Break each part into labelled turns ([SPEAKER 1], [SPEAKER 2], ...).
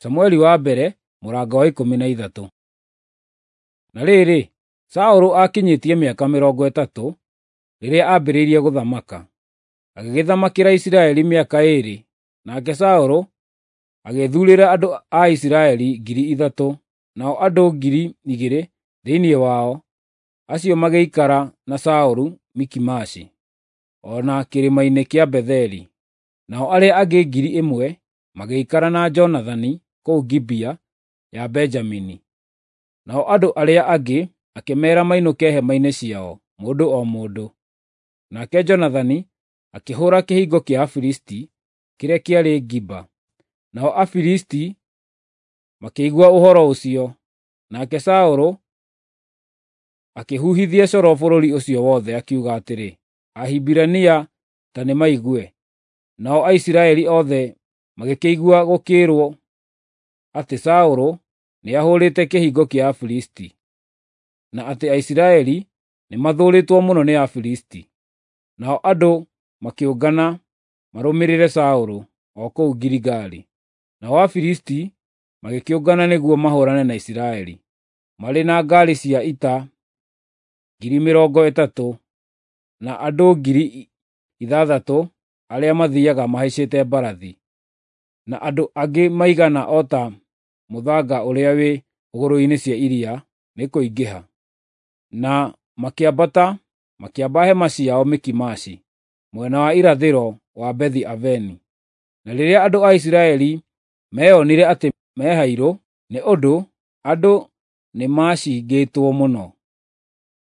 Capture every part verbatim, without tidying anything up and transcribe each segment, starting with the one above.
[SPEAKER 1] Samueli wa mbere mũrango wa ikũmi na ithatũ. Na rĩrĩ, Saũlũ aakinyĩtie mĩaka mĩrongo ĩtatũ rĩrĩa aambĩrĩirie gũthamaka, agĩgĩthamakĩra Isiraeli mĩaka ĩĩrĩ. Nake Saũlũ agĩĩthuurĩra andũ a Isiraeli ngiri ithatũ, nao andũ ngiri igĩrĩ thĩinĩ wao acio magĩikara na Saũlũ Mikimashi, o na kĩrĩma-inĩ kĩa Betheli. Nao arĩa angĩ ngiri ĩmwe magĩikara na Jonathani kũu Gibea ya Benjamini. Nao andũ arĩa angĩ akĩmeera mainũke hema-inĩ ciao, mũndũ o mũndũ. Nake Jonathani akĩhũũra kĩhingo kĩa Afilisti kĩrĩa kĩarĩ Giba. Nao Afilisti makĩigua ũhoro ũcio. Nake Saũlũ akĩhuhithia coro bũrũri ũcio wothe, akiuga atĩrĩ, “Ahibirania ta nĩmaigue!” Nao Aisiraeli othe magĩkĩigua gũkĩĩrwo atĩ Saũlũ nĩahũrĩte kĩhingo kĩa Afilisti, na atĩ Aisiraeli nĩmathũũrĩtwo mũno nĩ Afilisti. Nao andũ makĩũngana marũmĩrĩre Saũlũ o kũu Giligali. Nao Afilisti magĩkĩũngana nĩguo mahũũrane na Isiraeli, marĩ na ngaari cia ita ngiri mĩrongo ĩtatũ na andũ ngiri ithathatũ arĩa mathiiaga mahaicĩte mbarathi, na andũ angĩ maigana o ta mũthanga ũrĩa wĩ hũgũrũrũ-inĩ cia iria nĩ kũingĩha. Na makĩambata makĩamba hema ciao Mikimashi, mwena wa irathĩro wa Bethi-Aveni. Na rĩrĩa andũ a Isiraeli meonire atĩ mehairũ, nĩ ũndũ andũ nĩmacingĩtwo mũno,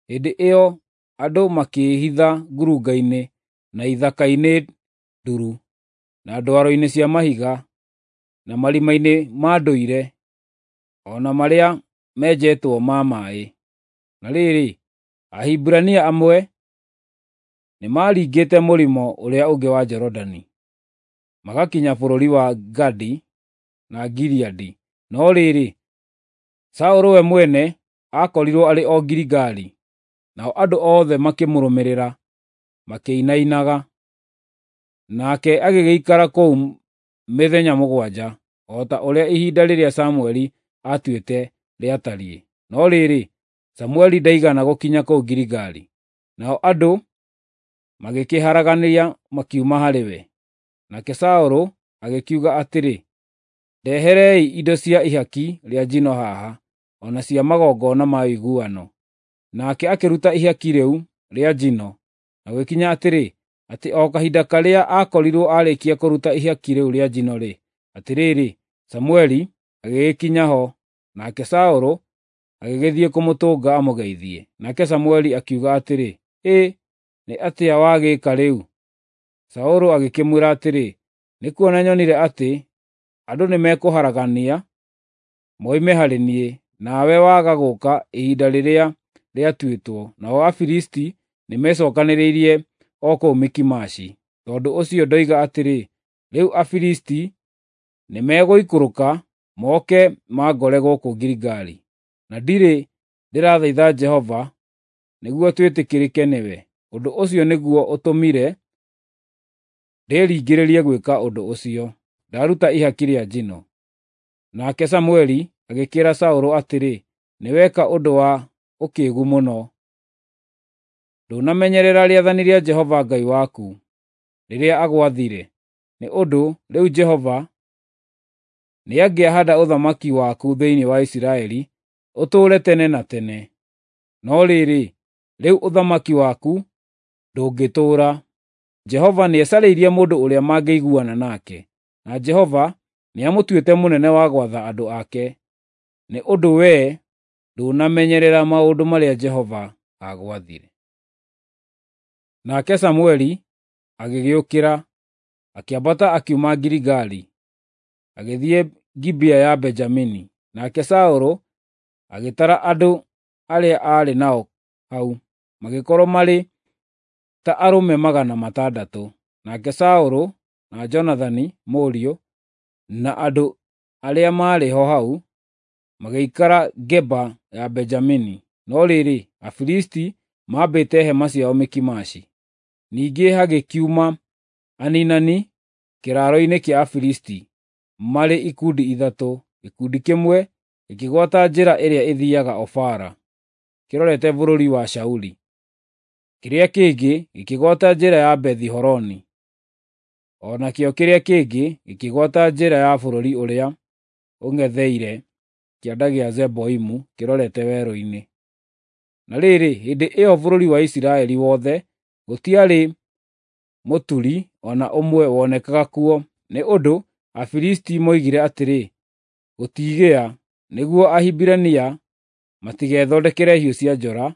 [SPEAKER 1] hĩndĩ ĩyo andũ makĩĩhitha ngurunga-inĩ na ithaka-inĩ nduru, na ndwaro-inĩ cia mahiga, na marima-inĩ ma ndũire, o na marĩa menjetwo ma maaĩ. Na rĩrĩ, Ahibirania amwe nĩmaringĩte mũrĩmo ũrĩa ũngĩ wa Jorodani, magakinya bũrũri wa Gadi na Gileadi. No rĩrĩ, Saũlũ we mwene aakorirwo arĩ o Giligali, nao andũ othe makĩmũrũmĩrĩra makĩinainaga. Nake agĩgĩikara kũu mĩthenya mũgwanja, o ta ũrĩa ihinda rĩrĩa Samũeli aatuĩte rĩatariĩ. No rĩrĩ, Samũeli ndaigana gũkinya kũu Giligali, nao andũ magĩkĩharaganĩria makiuma harĩ we. Nake Saũlũ agĩkiuga atĩrĩ, “Ndeherei indo cia ihaki rĩa njino haha, o na cia magongona ma ũiguano.” Nake akĩruta ihaki rĩu rĩa njino, na gũgĩkinya atĩrĩ, atĩ o kahinda karĩa aakorirwo aarĩkia kũruta ihaki rĩu rĩa njino-rĩ, atĩrĩrĩ, Samũeli agĩgĩkinya ho, nake Saũlũ agĩgĩthiĩ kũmũtũnga amũgeithie. Nake Samũeli akiuga atĩrĩ, “Ĩ, nĩ atĩa wagĩka rĩu?” Saũlũ agĩkĩmwĩra atĩrĩ, “Nĩ kuona nyonire atĩ andũ nĩmekũharagania moime harĩ niĩ, nawe waga gũũka ihinda rĩrĩa rĩatuĩtwo, nao Afilisti nĩmecookanĩrĩirie o kũu Mikimashi. Tondũ ũcio ndoiga atĩrĩ, 'Rĩu Afilisti nĩmegũikũrũka moke mangore gũkũ Giligali, na ndirĩ ndĩrathaitha Jehova nĩguo twĩtĩkĩrĩke nĩwe.' Ũndũ ũcio nĩguo ũtũmire ndĩringĩrĩrie gwĩka ũndũ ũcio, ndaruta ihaki rĩa njino.” Nake Samũeli agĩkĩĩra Saũlũ atĩrĩ, “Nĩweka ũndũ wa ũkĩĩgu mũno. Ndũnamenyerera rĩathani rĩa Jehova Ngai waku rĩrĩa agwathire, nĩ ũndũ rĩu Jehova nĩangĩahaanda ũthamaki waku thĩinĩ wa Isiraeli ũtũũre tene na tene. No rĩrĩ, rĩu ũthamaki waku ndũngĩtũũra. Jehova nĩecarĩirie mũndũ ũrĩa mangĩiguana nake, na Jehova nĩamũtuĩte mũnene wa gwatha andũ ake, nĩ ũndũ wee ndũnamenyerera maũndũ marĩa Jehova aagwathire.” Nake Samũeli agĩgĩũkĩra, akĩambata akiuma Giligali, agĩthiĩ Gibea ya Benjamini. Nake Saũlũ agĩtara andũ arĩa aarĩ nao hau, magĩkorwo marĩ ta arũme magana matandatũ. Nake Saũlũ na Jonathani mũriũ, na andũ arĩa maarĩ ho hau magĩikara Geba ya Benjamini. No rĩrĩ, Afilisti maambĩte hema ciao Mikimashi. Ningĩ hagĩkiuma aniinani kĩraaro-inĩ kĩa Afilisti marĩ ikundi ithatũ, Gĩkundi kĩmwe gĩkĩgwata njĩra ĩrĩa ĩthiiaga Ofara, kĩrorete bũrũri wa Shauli. Kĩrĩa kĩngĩ gĩkĩgwata njĩra ya Bethi-Horoni. O nakĩo kĩrĩa kĩngĩ gĩkĩgwata njĩra ya bũrũri ũrĩa ũng'etheire kĩanda gĩa Zeboimu kĩrorete werũ-inĩ. Na rĩrĩ, hĩndĩ ĩyo bũrũri wa Isiraeli wothe gũtiarĩ mũturi o na ũmwe wonekaga kuo, nĩ ũndũ Afilisti moigire atĩrĩ, “Gũtigĩa, nĩguo Ahibirania matigethondekere hiũ cia njora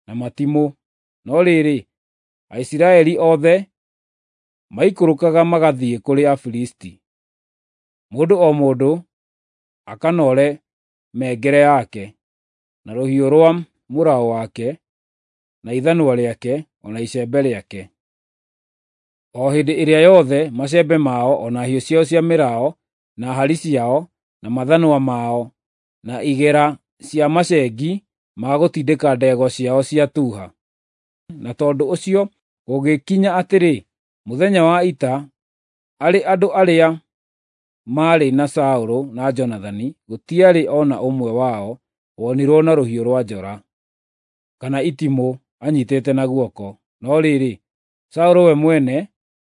[SPEAKER 1] na matimũ.” No rĩrĩ, Aisiraeli othe maikũrũkaga magathiĩ kũrĩ Afilisti, mũndũ o mũndũ akanoore mĩengere yake, na rũhiũ rwa mũraũ wake, na ithanwa rĩake, o na icembe rĩake. O hĩndĩ ĩrĩa yothe macembe mao o na hiũ ciao cia mĩraũ, na hari ciao, na mathanwa mao, na igera cia macengi ma gũtindĩka ndegwa ciao ciatuha. Na tondũ ũcio gũgĩkinya atĩrĩ, mũthenya wa ita, arĩ andũ arĩa maarĩ na Saũlũ na Jonathani, gũtiarĩ o na ũmwe wao wonirwo na rũhiũ rwa njora kana itimũ anyiitĩte na guoko. No rĩrĩ, Saũlũ we mwene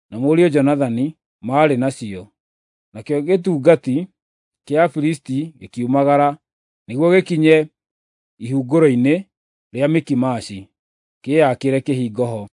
[SPEAKER 1] na mũriũ Jonathani maarĩ nacio. Nakĩo gĩtungati kĩa Afilisti gĩkiumagara nĩguo gĩkinye ihunguro-inĩ rĩa Mikimashi, kĩĩakĩre kĩhingo ho.